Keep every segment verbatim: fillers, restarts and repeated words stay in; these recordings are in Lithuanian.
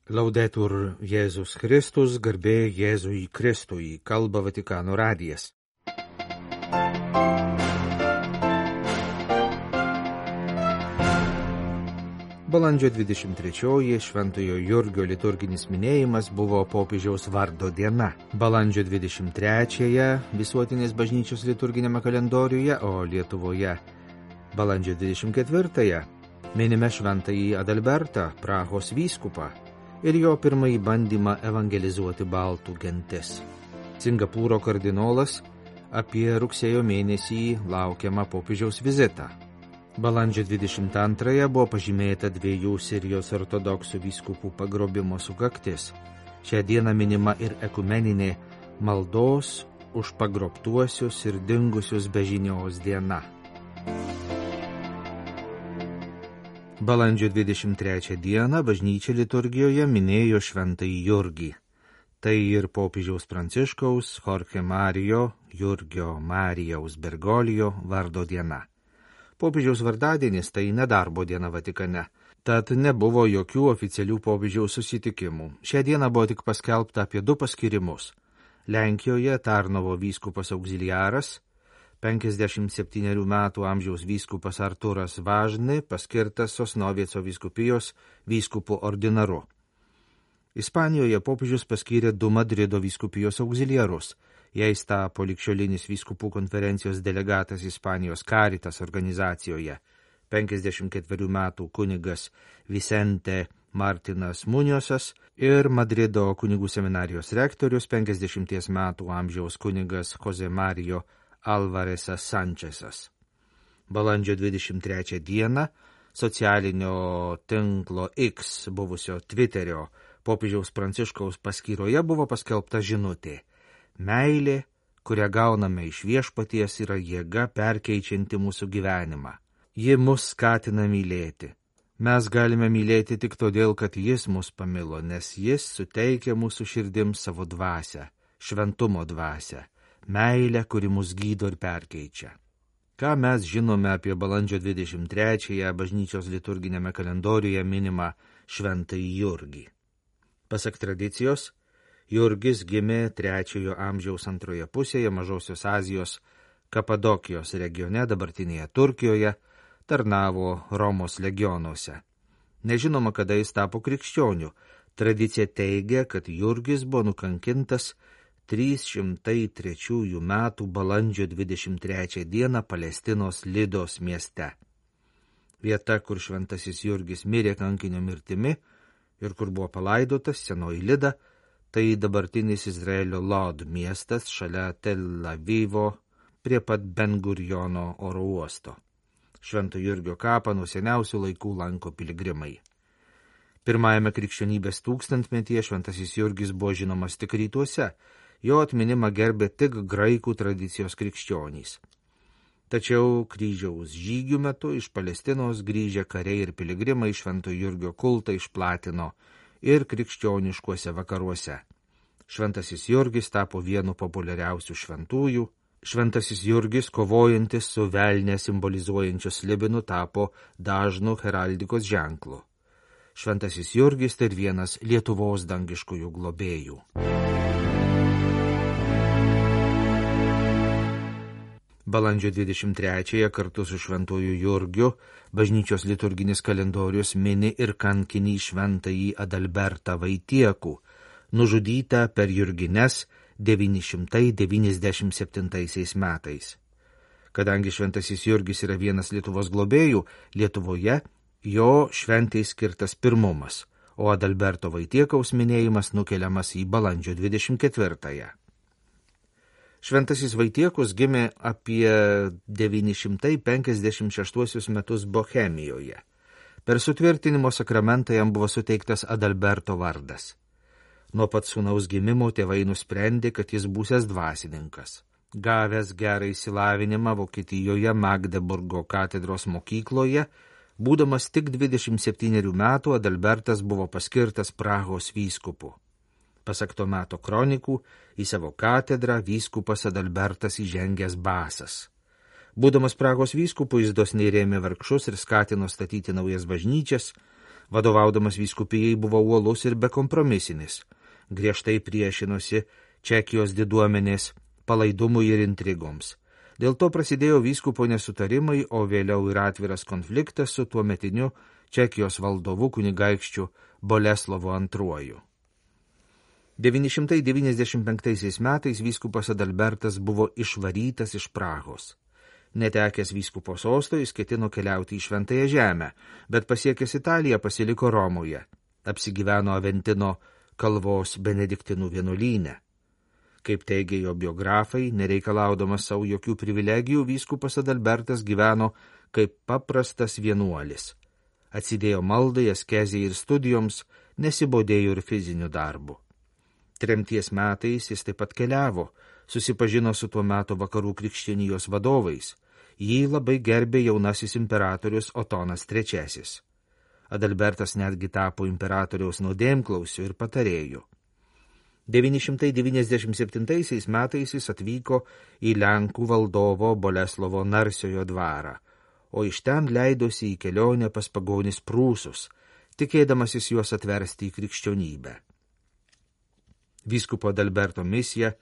Laudetur Jėzus Kristus, garbė Jėzui Kristui, kalba Vatikano radijas. Balandžio dvidešimt trečioji Šventojo Jurgio liturginis minėjimas buvo popiežiaus vardo diena. Balandžio dvidešimt trečiąją visuotinės bažnyčios liturginėme kalendoriuje, o Lietuvoje balandžio dvidešimt ketvirtąją minime Šventąjį Adalbertą, Prahos vyskupą, ir jo pirmąjį bandymą evangelizuoti baltų gentis. Singapūro kardinolas apie rugsėjo mėnesį laukiamą popiežiaus vizitą. Balandžio dvidešimt antrąją buvo pažymėta dviejų Sirijos ortodoksų vyskupų pagrobimo sukaktis. Šią dieną minima ir ekumeninė maldos už pagrobtuosius ir dingusius be žinios diena. Balandžio dvidešimt trečią dieną bažnyčia liturgijoje minėjo Šventąjį Jurgį. Tai ir popiežiaus Pranciškaus Jorge Mario Jurgio Marijaus Bergolijo vardo diena. Popiežiaus vardadienis tai nedarbo diena Vatikane, tad nebuvo jokių oficialių popiežiaus susitikimų. Šią dieną buvo tik paskelbta apie du paskirimus. Lenkijoje Tarnovo vyskupas auxiliaras, penkiasdešimt septynerių metų amžiaus vyskupas Artūras Važny paskirtas Sosnovieco vyskupijos vyskupu ordinaru. Ispanijoje popiežius paskyrė du Madrido vyskupijos auxiliarus. Jais tapo ligšiolinis vyskupų konferencijos delegatas Ispanijos Caritas organizacijoje, penkiasdešimt ketverių metų kunigas Vicente Martinas Muñozas ir Madrido kunigų seminarijos rektorius, penkiasdešimties metų amžiaus kunigas Jose Mario Alvaresas Sančesas. Balandžio dvidešimt trečią dieną socialinio tinklo X buvusio Twitterio popiežiaus Pranciškaus paskyroje buvo paskelbta žinutė: meilė, kurią gauname iš Viešpaties, yra jėga perkeičianti mūsų gyvenimą. Ji mus skatina mylėti. Mes galime mylėti tik todėl, kad Jis mus pamilo, nes Jis suteikia mūsų širdims savo dvasią, šventumo dvasią, meilę, kuri mus gydo ir perkeičia. Ką mes žinome apie balandžio dvidešimt trečiąją bažnyčios liturginėme kalendoriuje minimą Šventąjį Jurgį? Pasak tradicijos, Jurgis gimė trečiojo amžiaus antroje pusėje Mažosios Azijos Kapadokijos regione, dabartinėje Turkijoje, tarnavo Romos legionuose. Nežinoma, kada jis tapo krikščioniu. Tradicija teigia, kad Jurgis buvo nukankintas trys šimtai trečiųjų metų balandžio dvidešimt trečią dieną Palestinos Lidos mieste. Vieta, kur šventasis Jurgis mirė kankinio mirtimi ir kur buvo palaidotas, senoji Lida, tai dabartinis Izraelio Lod miestas šalia Tel Avivo prie pat Ben Guriono oro uosto. Švento Jurgio kapą nuo seniausių laikų lanko piligrimai. Pirmajame krikščionybės tūkstantmetyje šventasis Jurgis buvo žinomas tik rytuose, jo atminimą gerbė tik graikų tradicijos krikščionys. Tačiau kryžiaus žygių metu iš Palestinos grįžę kariai ir piligrimai Švento Jurgio kultą išplatino ir krikščioniškuose vakaruose. Šventasis Jurgis tapo vienu populiariausių šventųjų. Šventasis Jurgis, kovojantis su velne simbolizuojančiu slibinu, tapo dažnu heraldikos ženklu. Šventasis Jurgis tai vienas Lietuvos dangiškųjų globėjų. Balandžio dvidešimt trečiąją kartu su Šventuoju Jurgiu bažnyčios liturginis kalendorius mini ir kankinį Šventąjį Adalbertą Vaitiekų, nužudytą per Jurgines devyni šimtai devyniasdešimt septintaisiais metais. Kadangi Šventasis Jurgis yra vienas Lietuvos globėjų, Lietuvoje jo šventai skirtas pirmumas, o Adalberto Vaitiekaus minėjimas nukeliamas į balandžio dvidešimt ketvirtąją. Šventasis Vaitiekus gimė apie devyni šimtai penkiasdešimt šeštuosius metus Bohemijoje. Per sutvirtinimo sakramentą jam buvo suteiktas Adalberto vardas. Nuo pat sūnaus gimimo tėvai nusprendė, kad jis būsias dvasininkas. Gavęs gerą išsilavinimą Vokietijoje Magdeburgo katedros mokykloje, būdamas tik dvidešimt septynerių metų, Adalbertas buvo paskirtas Prahos vyskupu. Pasak to meto kronikų, į savo katedrą vyskupas Adalbertas įžengęs basas. Būdamas Prahos vyskupu, jis dosniai rėmė vargšus ir skatino statyti naujas bažnyčias, Vadovaudamas vyskupijai buvo uolus ir bekompromisinis. Griežtai priešinosi Čekijos diduomenės palaidumui ir intrigoms. Dėl to prasidėjo vyskupo nesutarimai, o vėliau ir atviras konfliktas su tuometiniu Čekijos valdovu kunigaikščiu Boleslovu antruoju. devyni šimtai devyniasdešimt penktaisiais metais vyskupas Adalbertas buvo išvarytas iš Prahos. Netekęs vyskupo sosto, jis ketino keliauti į Šventąją žemę, bet pasiekęs Italiją pasiliko Romoje. Apsigyveno Aventino kalvos benediktinų vienuolyne. Kaip teigia jo biografai, nereikalaudamas savo jokių privilegijų, vyskupas Adalbertas gyveno kaip paprastas vienuolis. Atsidėjo maldai, askezijai ir studijoms, nesibodėjo ir fiziniu darbu. Tremties metais jis taip pat keliavo, susipažino su tuo metu vakarų krikščionijos vadovais. Jį labai gerbė jaunasis imperatorius Otonas trečiasis. Adalbertas netgi tapo imperatoriaus nuodėmklausiu ir patarėju. devyni šimtai devyniasdešimt septintaisiais metais jis atvyko į Lenkų valdovo Boleslovo Narsiojo dvarą, o iš ten leidosi į kelionę pas pagonis prūsus, tikėdamasis juos atversti į krikščionybę. Vyskupo Adalberto misija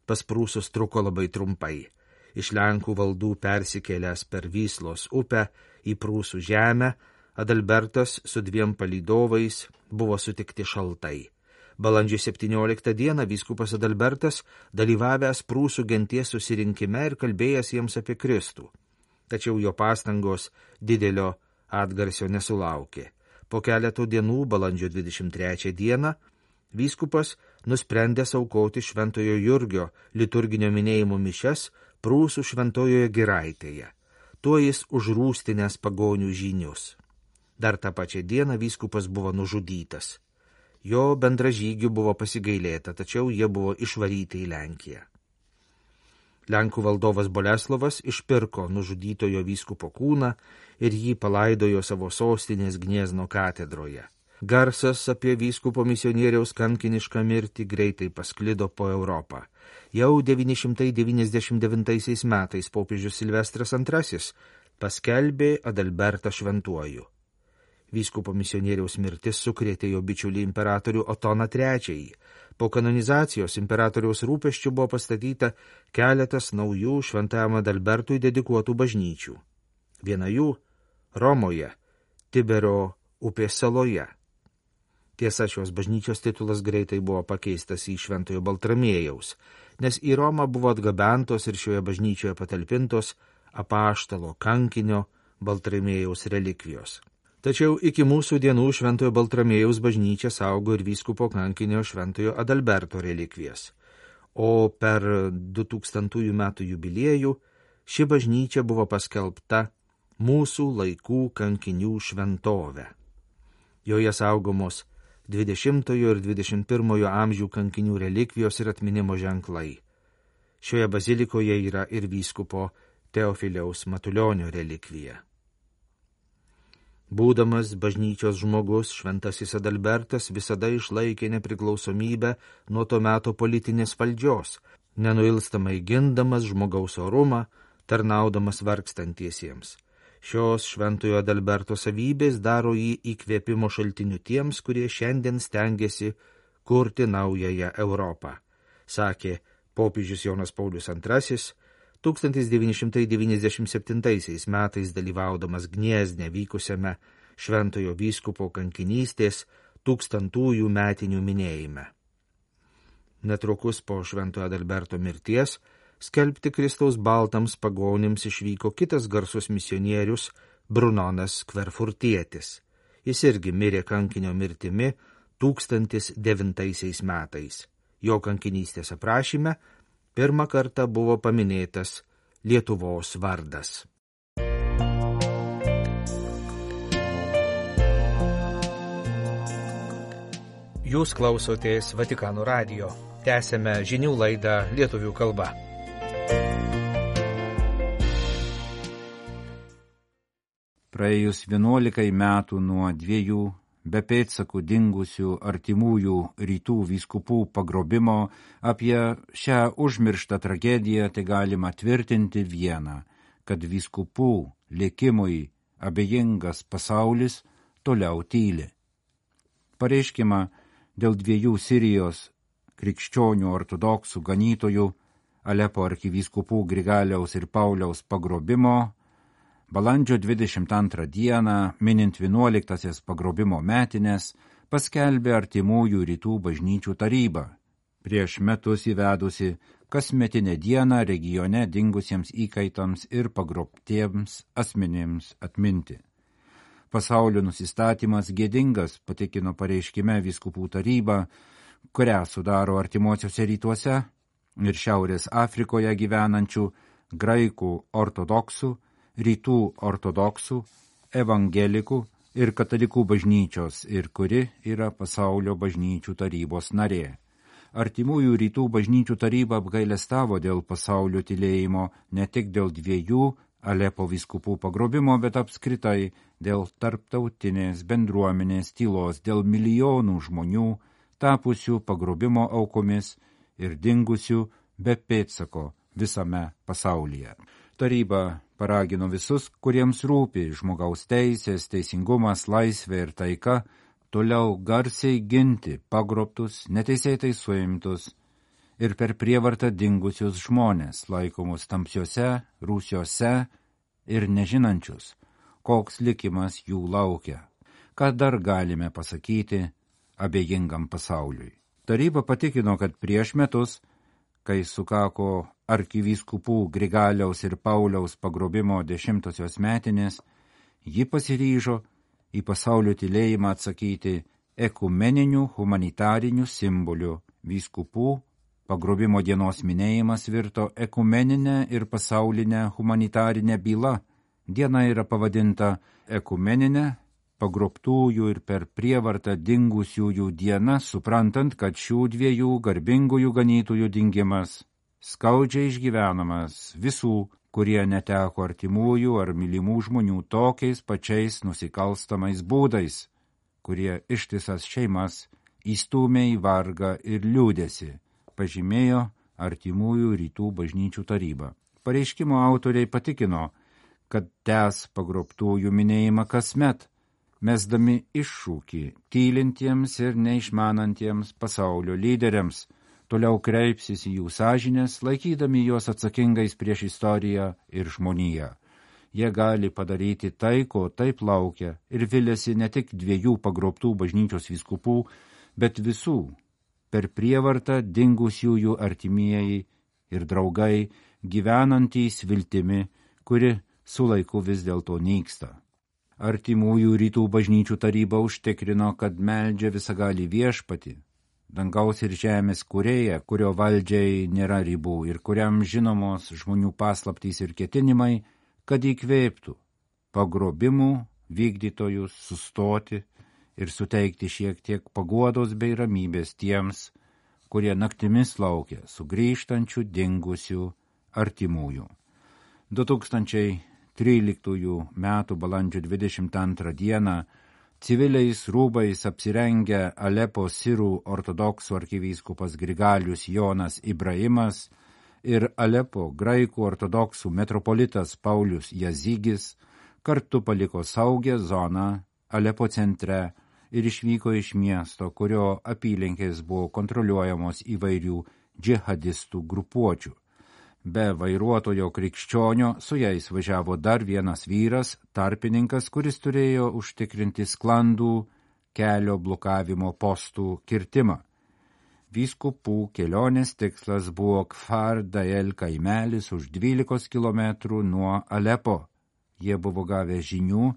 pas prūsus truko labai trumpai. Iš Lenkų valdų persikėlęs per Vyslos upę į prūsų žemę, Adalbertas su dviem palydovais buvo sutikti šaltai. Balandžio septynioliktą dieną vyskupas Adalbertas dalyvavęs prūsų genties susirinkime ir kalbėjęs jiems apie Kristų. Tačiau jo pastangos didelio atgarsio nesulaukė. Po keletų dienų, balandžio dvidešimt trečią dieną, vyskupas nusprendė aukoti Šventojo Jurgio liturginio minėjimo mišias Prūsų Šventojoje Giraitėje. Tuo jis užrūstinęs pagonių žynius. Dar tą pačią dieną vyskupas buvo nužudytas. Jo bendražygių buvo pasigailėta, tačiau jie buvo išvaryti į Lenkiją. Lenkų valdovas Boleslovas išpirko nužudytojo vyskupo kūną ir jį palaidojo savo sostinės Gniezno katedroje. Garsas apie vyskupo misionieriaus kankinišką mirtį greitai pasklido po Europą. Jau devyni šimtai devyniasdešimt devintaisiais metais popiežius Silvestras antrasis paskelbė Adalbertą šventuoju. Vyskupo misionieriaus mirtis sukrėtė jo bičiulį imperatorių Otoną trečiąjį. Po kanonizacijos imperatoriaus rūpesčių buvo pastatyta keletas naujų šventajam Adalbertui dedikuotų bažnyčių. Viena jų Romoje, Tiberio upės saloje. Tiesa, šios bažnyčios titulas greitai buvo pakeistas į Šventojo Baltramiejaus, nes į Romą buvo atgabentos ir šioje bažnyčioje patalpintos apaštalo kankinio Baltramiejaus relikvijos. Tačiau iki mūsų dienų Šventojo Baltramiejaus bažnyčia saugo ir vyskupo kankinio Šventojo Adalberto relikvijas. O per du tūkstantųjų metų jubiliejų ši bažnyčia buvo paskelbta mūsų laikų kankinių šventovė. Joje saugomos dvidešimtojo ir dvidešimt pirmojo amžių kankinių relikvijos ir atminimo ženklai. Šioje bazilikoje yra ir vyskupo Teofiliaus Matulionio relikvija. Būdamas bažnyčios žmogus, šventasis Adalbertas visada išlaikė nepriklausomybę nuo to meto politinės valdžios, nenuilstamai gindamas žmogaus orumą, tarnaudamas vargstantiesiems. Šios šventojo Adalberto savybės daro jį įkvėpimo šaltiniu tiems, kurie šiandien stengiasi kurti naująją Europą, sakė popiežius Jonas Paulius antrasis, tūkstantis devyni šimtai devyniasdešimt septintaisiais metais dalyvaudamas Gniezne vykusiame šventojo vyskupo kankinystės tūkstantųjų metinių minėjime. Netrukus po šventojo Adalberto mirties skelbti Kristaus baltams pagonims išvyko kitas garsus misionierius Brunonas Kverfurtietis. Jis irgi mirė kankinio mirtimi tūkstantis devintaisiais metais. Jo kankinystės aprašyme pirmą kartą buvo paminėtas Lietuvos vardas. Jūs klausotės Vatikano radijo. Tęsėme žinių laidą lietuvių kalba. Praėjus vienuolikai metų nuo dviejų be pėdsakų dingusių artimųjų rytų vyskupų pagrobimo, apie šią užmirštą tragediją tai galima tvirtinti vieną, kad vyskupų likimui abejingas pasaulis toliau tyli. Pareiškimą dėl dviejų Sirijos krikščionių ortodoksų ganytojų Alepo arkivyskupų Grigaliaus ir Pauliaus pagrobimo balandžio dvidešimt antrą dieną, minint vienuoliktasias pagrobimo metinės, paskelbė Artimųjų rytų bažnyčių taryba, prieš metus įvedusi kasmetinę dieną regione dingusiems įkaitams ir pagrobtiems asmenims atminti. Pasaulio nusistatymas gėdingas, patikino pareiškime vyskupų taryba, kurią sudaro artimuosiuose rytuose ir Šiaurės Afrikoje gyvenančių graikų ortodoksų, rytų ortodoksų, evangelikų ir katalikų bažnyčios ir kuri yra pasaulio bažnyčių tarybos narė. Artimųjų rytų bažnyčių taryba apgailestavo dėl pasaulio tylėjimo ne tik dėl dviejų Alepo vyskupų pagrobimo, bet apskritai dėl tarptautinės bendruomenės tylos, dėl milijonų žmonių tapusių pagrobimo aukomis ir dingusių be pėdsako visame pasaulyje. Taryba paragino visus, kuriems rūpi žmogaus teisės, teisingumas, laisvė ir taika, toliau garsiai ginti pagrobtus, neteisėtai suimtus ir per prievartą dingusius žmonės, laikomus tamsiuose, rūsiuose ir nežinančius, koks likimas jų laukia. Ką dar galime pasakyti abejingam pasauliui? Taryba patikino, kad prieš metus, kai sukako arkivyskupų Grigaliaus ir Pauliaus pagrobimo dešimtosios metinės, ji pasiryžo į pasaulio tylėjimą atsakyti ekumeninių humanitarinių simbolių. Vyskupų pagrobimo dienos minėjimas virto ekumeninę ir pasaulinę humanitarinę bylą. Diena yra pavadinta ekumeninė pagrobtųjų ir per prievartą dingusiųjų diena, suprantant, kad šių dviejų garbingųjų ganytojų dingimas skaudžiai išgyvenamas visų, kurie neteko artimųjų ar mylimų žmonių tokiais pačiais nusikalstamais būdais, kurie ištisas šeimas įstūmė į vargą ir liūdesį, pažymėjo Artimųjų rytų bažnyčių taryba. Pareiškimo autoriai patikino, kad tęs pagrobtųjų minėjimą kasmet, mesdami iššūkį tylintiems ir neišmanantiems pasaulio lyderiams, toliau kreipsis į jų sąžinės, laikydami juos atsakingais prieš istoriją ir žmoniją. Jie gali padaryti tai, ko taip laukia, ir viliasi ne tik dviejų pagrobtų bažnyčios vyskupų, bet visų per prievartą dingusiųjų artimieji ir draugai, gyvenantys viltimi, kuri su laiku vis dėlto nyksta. Artimųjų rytų bažnyčių taryba užtikrino, kad meldžia visagalį viešpatį, dangaus ir žemės kūrėją, kurio valdžiai nėra ribų ir kuriam žinomos žmonių paslaptys ir ketinimai, kad įkvėptų pagrobimų vykdytojus sustoti ir suteikti šiek tiek paguodos bei ramybės tiems, kurie naktimis laukia sugrįžtančių dingusių artimųjų. du tūkstančiai tryliktųjų metų balandžio dvidešimt antrą dieną civiliais rūbais apsirengę Alepo sirų ortodoksų arkivyskupas Grigalius Jonas Ibrahimas ir Alepo graikų ortodoksų metropolitas Paulius Jazygis kartu paliko saugią zoną Alepo centre ir išvyko iš miesto, kurio apylinkės buvo kontroliuojamos įvairių džihadistų grupuočių. Be vairuotojo krikščionio su jais važiavo dar vienas vyras, tarpininkas, kuris turėjo užtikrinti sklandų kelio blokavimo postų kirtimą. Vyskupų kelionės tikslas buvo Kfar Dael kaimelis už dvylikos kilometrų nuo Alepo. Jie buvo gavę žinių,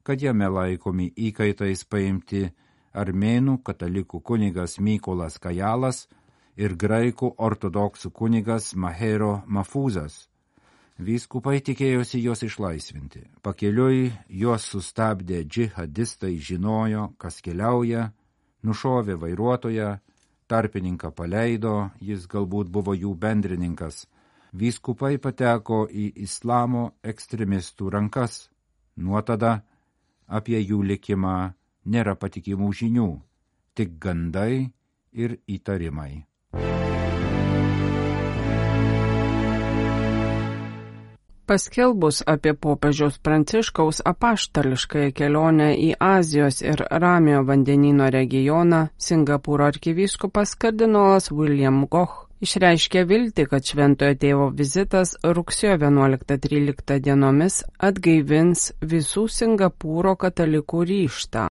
kad jame laikomi įkaitais paimti armėnų katalikų kunigas Mykolas Kajalas ir graikų ortodoksų kunigas Mahero Mafuzas. Vyskupai tikėjosi juos išlaisvinti. Pakeliui juos sustabdė džihadistai, žinojo, kas keliauja, nušovė vairuotoją, tarpininką paleido, jis galbūt buvo jų bendrininkas. Vyskupai pateko į islamo ekstremistų rankas. Nuo tada apie jų likimą nėra patikimų žinių, tik gandai ir įtarimai. Paskelbus apie popiežiaus Pranciškaus apaštališkąją kelionę į Azijos ir Ramiojo vandenyno regioną, Singapūro arkivyskupas kardinolas William Goch išreiškė viltį, kad Šventojo Tėvo vizitas rugsėjo vienuoliktą tryliktą dienomis atgaivins visų Singapūro katalikų ryžtą.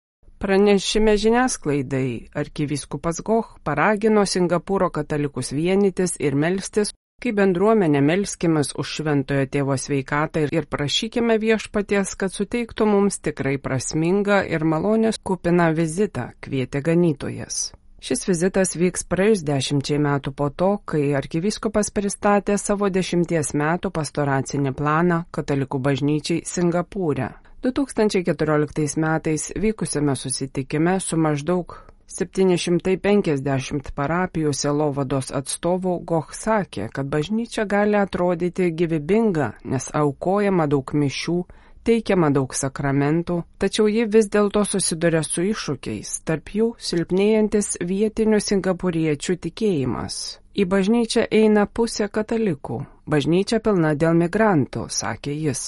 Pranešime žiniasklaidai arkivyskupas Goch paragino Singapūro katalikus vienytis ir melstis. Kai bendruomenė melskimės už Šventojo Tėvo sveikatą ir prašykime viešpaties, kad suteiktų mums tikrai prasmingą ir malonės kupiną vizitą, kvietė ganytojas. Šis vizitas vyks praėjus dešimčiai metų po to, kai arkivyskupas pristatė savo dešimties metų pastoracinį planą katalikų bažnyčiai Singapūre. du tūkstančiai keturioliktais metais vykusiame susitikime su maždaug septyni šimtai penkiasdešimt parapijų sielovados atstovų Goch sakė, kad bažnyčia gali atrodyti gyvybinga, nes aukojama daug mišių, teikiama daug sakramentų, tačiau ji vis dėlto susiduria su iššūkiais, tarp jų silpnėjantis vietinių singapūriečių tikėjimas. Į bažnyčią eina pusė katalikų, bažnyčia pilna dėl migrantų, sakė jis.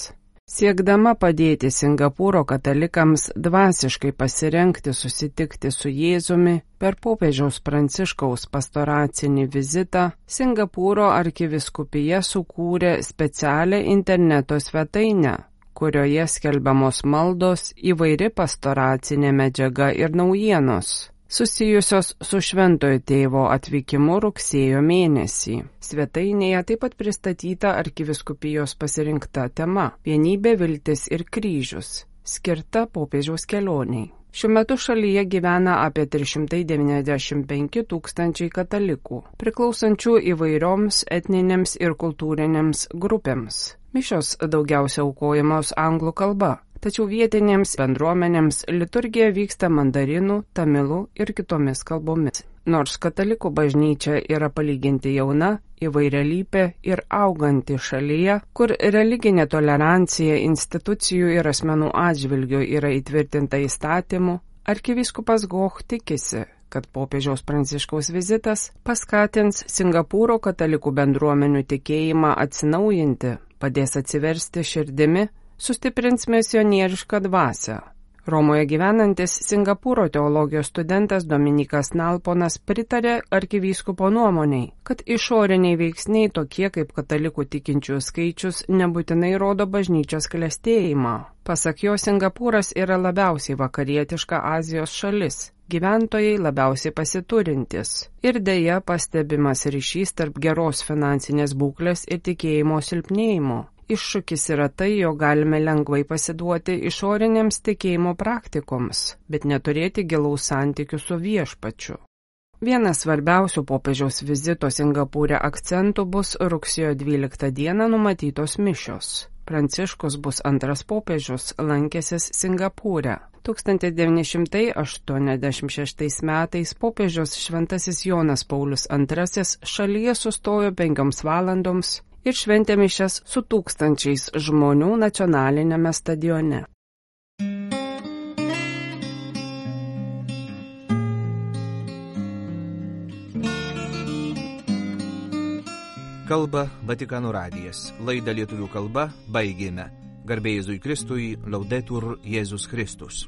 Siekdama padėti Singapūro katalikams dvasiškai pasirengti susitikti su Jėzumi per popiežiaus Pranciškaus pastoracinį vizitą, Singapūro arkivyskupija sukūrė specialią interneto svetainę, kurioje skelbiamos maldos, įvairi pastoracinė medžiaga ir naujienos, susijusios su Šventojo Tėvo atvykimu rugsėjo mėnesį. Svetainėje taip pat pristatyta arkivyskupijos pasirinkta tema – Vienybė, viltis ir kryžius, skirta popiežiaus kelioniai. Šiuo metu šalyje gyvena apie trys šimtai devyniasdešimt penki tūkstančiai katalikų, priklausančių įvairioms etninėms ir kultūrinėms grupėms. Mišios daugiausia aukojamos anglų kalba. Tačiau vietinėms bendruomenėms liturgija vyksta mandarinų, tamilų ir kitomis kalbomis. Nors katalikų bažnyčia yra palyginti jauna, įvairialypė ir auganti šalyje, kur religinė tolerancija institucijų ir asmenų atžvilgių yra įtvirtinta įstatymu, arkivyskupas Goch tikisi, kad popiežiaus Pranciškaus vizitas paskatins Singapūro katalikų bendruomenių tikėjimą atsinaujinti, padės atsiversti širdimi, sustiprins misionierišką dvasią. Romoje gyvenantis Singapūro teologijos studentas Dominikas Nalponas pritarė arkivyskupo nuomoniai, kad išoriniai veiksniai tokie kaip katalikų tikinčiųjų skaičius nebūtinai rodo bažnyčios klestėjimą. Pasak jo, Singapūras yra labiausiai vakarietiška Azijos šalis, gyventojai labiausiai pasiturintis ir deja pastebimas ryšys tarp geros finansinės būklės ir tikėjimo silpnėjimo. Iššūkis yra tai, jog galime lengvai pasiduoti išorinėms tikėjimo praktikoms, bet neturėti gilaus santykių su viešpačiu. Vienas svarbiausių popiežiaus vizito Singapūre akcentų bus rugsėjo dvyliktą dieną numatytos mišios. Pranciškus bus antras popiežius lankęsis Singapūre. tūkstantis devyni šimtai aštuoniasdešimt šeštais metais popiežius Šventasis Jonas Paulius antrasis šalyje sustojo penkioms valandoms ir šventė mišias su tūkstančiais žmonių nacionalinėme stadione. Kalba Vatikano radijas. Laidą lietuvių kalba baigėme. Garbė Jėzui Kristui, Laudetur Jėzus Kristus.